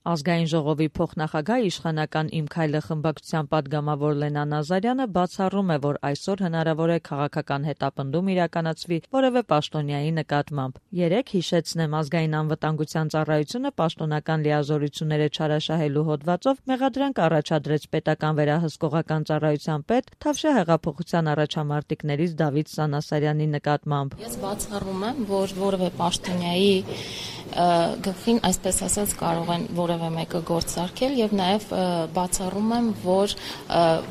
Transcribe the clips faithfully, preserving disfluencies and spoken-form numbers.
Ազգային ժողովի փոխնախագահ իշխանական «Իմ քայլը» խմբակցության պատգամավոր Լենա Նազարյանը բացառում է, որ այսօր հնարավոր է քաղաքական հետապնդում իրականացվի որևէ պաշտոնյայի նկատմամբ։ Երեկ, հիշեցնեմ, Ազգային անվտանգության ծառայությունը պաշտոնական լիազորությունները չարաշահելու հոդվածով մեղադրանք առաջադրեց պետական վերահսկողական ծառայության պետ Թավշյա հեղափոխության առաջամարտիկներից Դավիթ Սանասարյանի նկատմամբ։ Ես բացառում եմ, որ որևէ պաշտոնյայի գլխին, այսպես ասած, կարող են որևէ մեկը գործարկել եւ նաեւ բացառում եմ, որ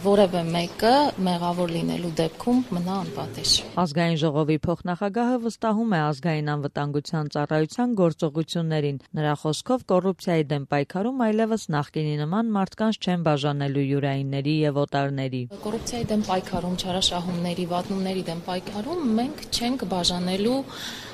որևէ մեկը մեղավոր լինելու դեպքում մնա անպատեժ։ Ազգային ժողովի փոխնախագահը վստահում է ազգային անվտանգության ծառայության գործողություններին։ Նրա խոսքով կոռուպցիայի դեմ պայքարում այլևս նախկինի նման մարդկանց չեն բաժանելու յուրայինների եւ օտարների։ Կոռուպցիայի դեմ պայքարում, չարաշահումների, վատնումների դեմ պայքարում մենք չենք բաժանելու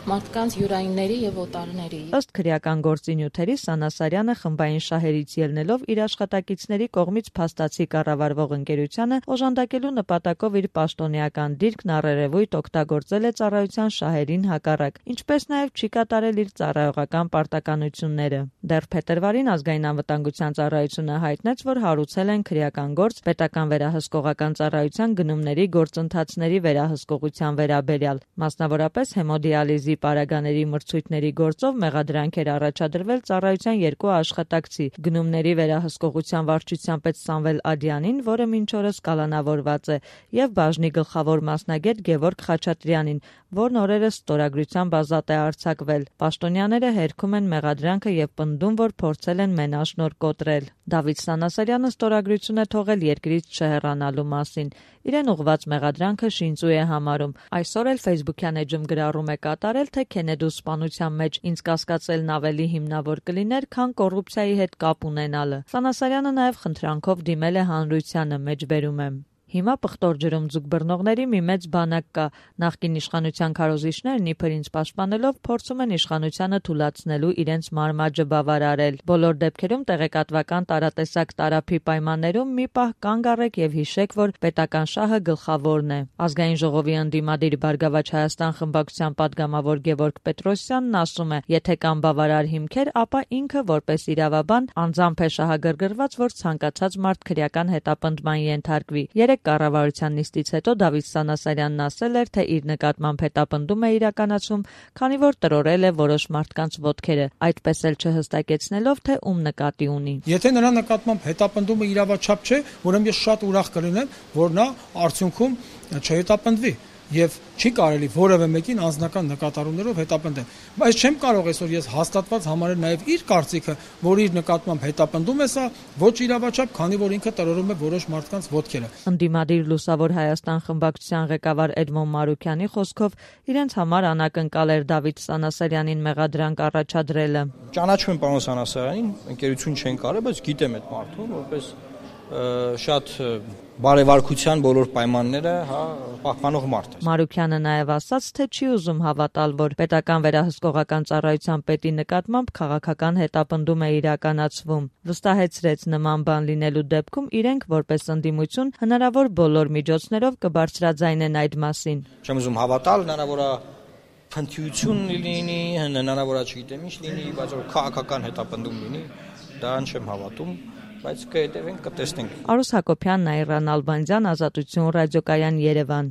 մարդկանց յուրայինների եւ օտարների։ Ըստ քրեական գործի նյութերի Սանասարյանը խմբային շահերից ելնելով իր աշխատակիցների կողմից փաստացի կառավարվող ընկերությանը օժանդակելու նպատակով իր պաշտոնեական դիրքն առերևույթ օգտագործել է ծառայության շահերին հակառակ, ինչպես նաեւ չի կատարել իր ծառայողական պարտականությունները։ Դեռ փետրվարին Ազգային անվտանգության ծառայությունը հայտնեց, որ հարուցել են քրեական գործ պետական վերահսկողական ծառայության գնումների գործընթացների վերահսկողության վերաբերյալ, մասնավորապես հեմոդիալիզի պարագաների մրցույթների գործով մեղադրանք էր առաջադրվել ծառայության երկու աշխատակցի՝ գնումների վերահսկողության վարչության պետ Սամվել Ադյանին, որը մինչ օրս կալանավորված է, եւ բաժնի գլխավոր մասնագետ Գևորգ Խաչատրյանին, որն օրերս ստորագրությամբ ազատ է արձակվել։ Պաշտոնյաները հերքում են մեղադրանքը եւ պնդում, որ փորձել են մենաշնորհ կոտրել։ Դավիթ Սանասարյանը ստորագրություն է թողել երկրից չհեռանալու մասին։ Իրեն ուղված մեղադրանքը շինծու է համարում։ Այսօր էլ Facebook-յան էջում գրառում է կատարել, թե Քենեդու սպանության մեջ ինձ կասկածելն ավելի հիմնավոր կլիներ, քան կոռուպցիայի հետ կապ ունենալը։ Սանասարյանը նաև խնդրանքով դիմել է հանրությանը, մեջբերում եմ։ Հիմա պղտոր ջրում ձուկ բռնողների մի մեծ բանակ կա։ Նախկին իշխանության քարոզիչներն իբր ինձ պաշտպանելով փորձում են իշխանությանը թուլացնելու իրենց մարմաճը բավարարել։ Բոլոր դեպքերում տեղեկատվական տարատեսակ տարափի պայմաններում մի պահ կանգ առեք եւ հիշեք, որ պետական շահը գլխավորն է։ Ազգային ժողովի ընդդիմադիր Բարգավաճ Հայաստան խմբակցության պատգամավոր Գևորգ Պետրոսյանն ասում է. եթե կան բավարար հիմքեր, ապա ինքը որպես իրավաբան անձամբ է շահագրգռված, որ ցանկացած մարդ քրեական հետապնդման ենթարկվի։ Կառավարության նիստից հետո Դավիթ Սանասարյանն ասել էր, թե իր նկատմամբ հետապնդում է իրականացում, քանի որ տրորել է որոշ մարդկանց ոտքերը, այդպես էլ չհստակեցնելով, թե ում նկատի ունի։ Եթե նրա նկատմամբ հետապնդումը իրավաչափ չէ, ուրեմն ես շատ ուրախ կլինեմ, որ նա արդյունքում չհետապնդվի եւ չի կարելի որևէ մեկին անձնական նկատառումներով հետապնդել։ Բայց չեմ կարող այսօր ես հաստատված համարել նաեւ իր կարծիքը, որ իր նկատմամբ հետապնդում է սա ոչ իրավաչափ, քանի որ ինքը տրորում է որոշ մարդկանց ոտքերը։ Ընդդիմադիր Լուսավոր Հայաստան խմբակցության ղեկավար Էդմոն Մարուքյանի խոսքով իրենց համար անակնկալ էր Դավիթ Սանասարյանին մեղադրանք առաջադրելը։ Ճանաչում եմ պարոն Սանասարյանին, ընկերություն չեն կարել, բայց գիտեմ այդ մարդուն, որպես շատ բարեվարկության բոլոր պայմանները, հա, պահպանող մարդ է։ Մարուքյանը նաև ասաց, թե չի ուզում հավատալ, որ պետական վերահսկողական ծառայության պետի նկատմամբ քաղաքական հետապնդում է իրականացվում։ Վստահեցրեց, նման բան լինելու դեպքում իրենք որպես ընդդիմություն հնարավոր բոլոր միջոցներով կբարձրաձայնեն այդ մասին։ Չեմ ուզում հավատալ, հնարավոր է փնթիություն լինի, հնարավոր է չգիտեմ ինչ լինի, բայց որ քաղաքական հետապնդում լինի, դրան չեմ հավատում։ Բայց կհետևենք, կտեսնենք։ Արուս Հակոբյան, Նաիրա Նալբանդյան, Ազատություն ռադիոկայան, Երևան։